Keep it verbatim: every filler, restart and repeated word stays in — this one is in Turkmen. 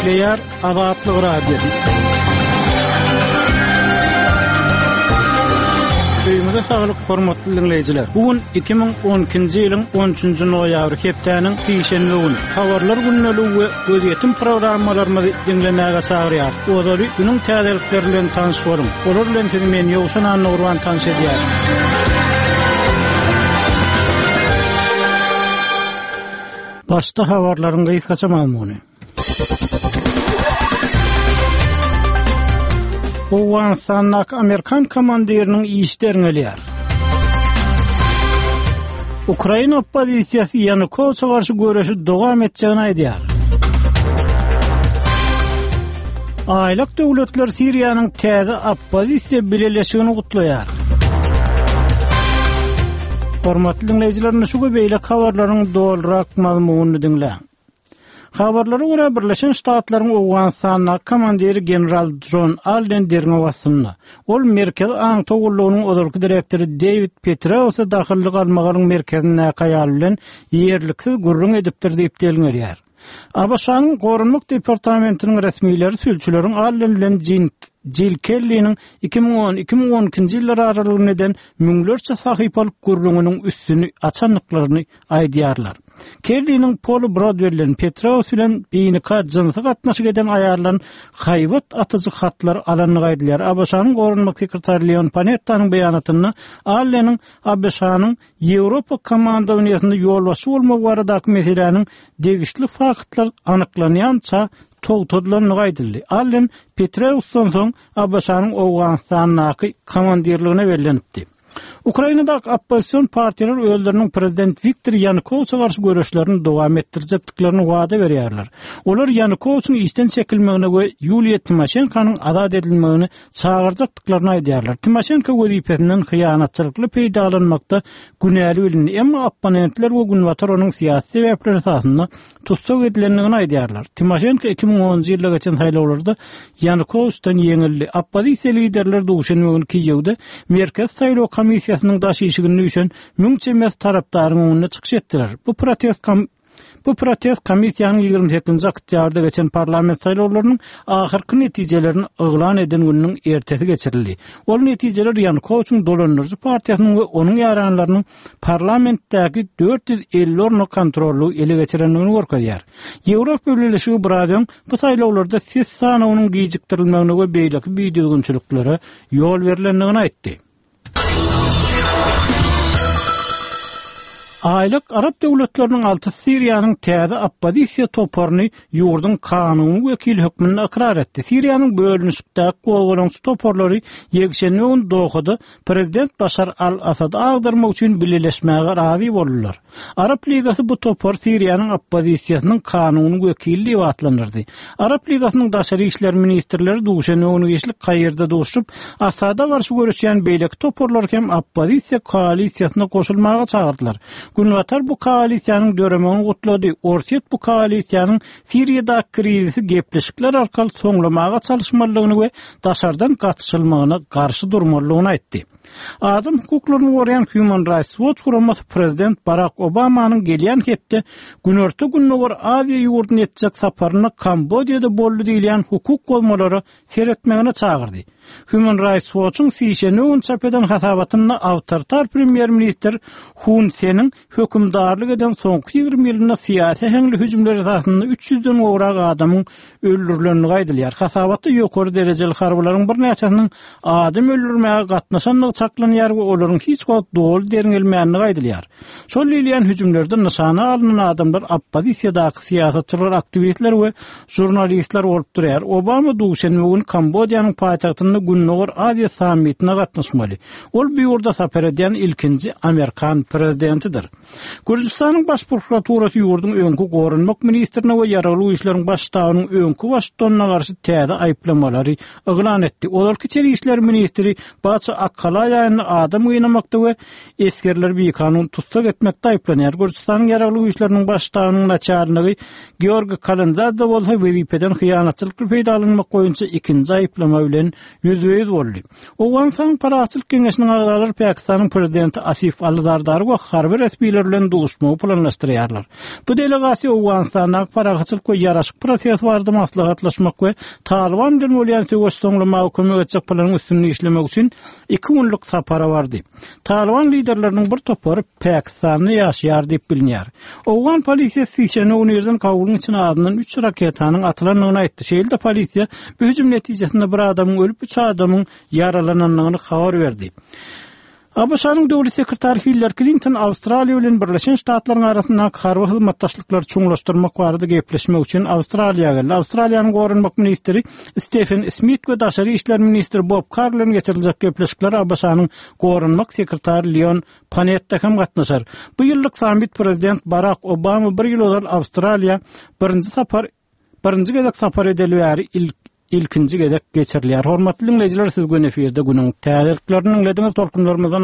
Gepleýär Azatlyk Radiosy. Öýüňize saglyk, hormatly diňleýjiler. Bu gün iki müň on ikinji ýylyň on üçünji noýabry, hepdäniň sişenbe güni. Habarlar gündeligi we gözýetim programmalarymyzy diňlemäge çagyrýarys. Ozaly günüň täzelikleri bilen tanyş boluň. Olar bilen sizi men Ýowşan Annagurban tanyş edýär. Başda habarlaryň gysgaça mazmuny. Owganystandaky Amerikan komandiriniň işi derňelýär. Ukraina oppozisiýasy Ýanukowiçe garşy göreşi dowam etjegini aýdýar. Aýlak döwletler Siriýanyň täze oppozisiýa bileleşigini gutlaýar. Hormatly diňleýjiler, şu we beýleki habarlaryň dolurak mazmunyny diňläň. Habarlara görä Birleşen Ştatlaryň Owganystandaky komandiri general John Allen derňew astynda. Ol Merkezi Aňtaw gullugynyň ozalky direktory David Petraeus'a dahylly galmagaryň merkezindäki aýal bilen ýerliksiz gürrüň edipdir diýip delňelýär. A B Ş-nyň Goranmak departamentiniň resmileri sülçüleriň Allen bilen Jin Jill Kelly'niň iki müň on, iki müň on ikinji ýyllar aralygynda eden müňlerçe sahypalyk gürrüňiniň üstüni açandyklaryny aýdýarlar. Kelly'niň Paul Broadwell bilen Petraeus bilen binika jynsy gatnaşyk eden aýarlan haýbat atyjy hatlar alandygy aýdylýar. A B Ş-nyň Goranmak sekretary Leon Panetta'nyň beýanatynda Alleniň A B Ş-nyň Ýewropa komandowaniýasynda ýolbaşçy bolmagy baradaky meseläniň degişli faktlar anyklanýança togtadylandygy aýdyldy. Allen Petraeusdan soň A B Ş-nyň Owganystandaky komandirligine bellenipdi. Ukrainadaky oppozision partiýalar özleriniň prezident Wiktor Ýanukowiçe garşy göreşlerini dowam etdirjekdiklerini wada berýärler. Olar Ýanukowiçiň işden çekilmegine we Ýuliýa Timoşenkonyň azat edilmegini çagyrjakdyklaryny aýdýarlar. Timoşenko wezipesinden hyýanatçylykly peýdalanmakda günäli bilindi, emma opponentler we Günbatar onuň syýasy sebäpler esasynda tussag edilendigini aýdýarlar. Timoşenko iki müň onunjy ýylda geçen saýlawlarda Ýanukowiçden ýeňildi. Oppozisiýa liderleri duşenbe güni Kiýewde Merkez saýlaw komissiýasynyň daş işiginde düşen müň çemesi tarapdaryň öňünde çykyş etdiler. Bu protest kom-, bu protest komissiýanyň ýigrimi sekizinji oktýabrda geçen parlament saýlawlarynyň ahyrky netijelerini yglan eden gününiň ertesi geçirildi. Ol netijeler Ýanukowiçiň dolandyryjy partiýasynyň we onuň ýaranlarynyň parlamentdäki dört ýüz elli orny kontrollygy ele geçirendigini görkezýär. Ýewropa Birleşigi biraz öň bu saýlawlarda ses sanawynyň gijikdirilmegine we beýleki bidüzgünçiliklere ýol berilendigini aýtdy. Aýlyk Arap döwletleriniň alty Siriýanyň täze oppozisiýa toparyny ýurduň kanuny wekili hökmünde ykrar etdi. Siriýanyň bölünişikdäki gozgalaňçy toparlary ýekşenbe güni Dohada prezident Başar al-Asady agdarmak üçin bileleşmäge razy boldular. Arap Ligasy bu topar Siriýanyň oppozisiýasynyň kanuny wekili diýip atlandyrdy. Arap Ligasynyň daşary işler ministrleri duşenbe güni geçlik Kaýirde duşup, Asada garşy görüşýän beýleki toparlar hem oppozisiýa koalisiýasyna goşulmaga çagyrdylar. Günbatar bu koalisiýanyň döremegini gutlady. Orsýet bu koalisiýanyň Siriýadaky krizisi gepleşikler arkaly soňlamaga çalyşmalydygyny we daşardan gatyşylmagyna garşy durmalydygyny aýtdy. Adam hukuklaryny goraýan Human Rights Watch guramasy prezident Barack Obamanyň gelýän hepde Günorta Gündogar Aziýa ýurduny etjek saparyna Kambodžada boldy diýilýän hukuk bozmalara seretmegine çagyrdy. Human Rights Watch'yň sişenbe gün çap eden hasabatynda awtoritar premýer-ministr Hun Seniň hökümdarlyk eden soňky ýigrimi ýylynda syýasy äheňli hüjümler esasynda üç ýüzden gowrak adamyň öldürilendigi aýdylýar. Hasabatda ýokary derejeli harbylaryň birnäçesiniň adam öldürmäge gatnaşandygy çaklanýar we olaryň hiç wagt doly derňelmändigi aýdylýar. Şol diýilýän hüjümlerde nyşana alynan adamlar oppozisiýadaky syýasatçylar, aktiwistler we žurnalistler bolup durýar. Obama duşenbe güni Kambodžanyň paýtagtynda Gündogar Aziýa sammitine gatnaşmaly. Ol bu ýurda sapar edýän ilkinji Amerikan prezidentidir. Gürjüstanyň baş prokuraturasy ýurduň öňki goranmak ministrine we ýaragly güýçleriň baş ştabynyň öňki baştutanyna garşy täze aýyplamalary yglan etdi. Ozalky içeri işler ministri Baça Akkalaýa aýynda adam gynamakda we esgerleri bikanun tussag etmekde aýyplanýar. Gürjüstanyň Ýaragly Güýçleriniň Baş ştabynyň naçalnigi Georgi Kalandadze bolsa wezipeden hyýanatçylykly peýdalanmak boýunça ikinji aýyplama bilen ýüzbe-ýüz boldy. Owganystanyň Parahatçylyk geňeşiniň agzalary Pakistanyň prezidenti Asif Ali Zardary we harby resmiler bilen duşmagy planlaşdyrýarlar. Bu delegasiýa Owganystandaky parahatçylyk we ýaraşyk prosesi barada maslahatlaşmak we Talyban bilen bolýan söweşi soňlamaga kömek etjek planyň üstünde işlemek üçin iki günlük sapara bardy. Talyban liderleriniň bir topary Pakistanda ýaşaýar diýip bilinýär. Owgan polisiýasy sişenbe güni irden Kabulyň içine azyndan üç raketanyň atylandygyny aýtdy. Şeýle-de polisiýa bu hüjüm netijesinde bir adamyň ölüp, üç adamyň ýaralanandygyny habar berdi. ABŞ-nyň Döwlet sekretary Hillari Klinton Awstraliýa bilen Birleşen Ştatlaryň arasyndaky harby hyzmatdaşlyklary çuňlaşdyrmak barada gepleşmek üçin Awstraliýa geldi. Awstraliýanyň goranmak ministri Stefen Smit we daşary işler ministri Bob Karr bilen geçiriljek gepleşiklere ABŞ-nyň goranmak sekretary Leon Panetta hem gatnaşar. Bu ýyllyk sammit prezident Barak Obama bir ýyl ozal Awstraliýa birinji sapar birinji gezek sapar edeli bäri ilkinji gezek geçirilýär. Hormatly diňleýjiler, siz gün efirde günüň täzeliklerini diňlediňiz. Tolkunlarymyzdan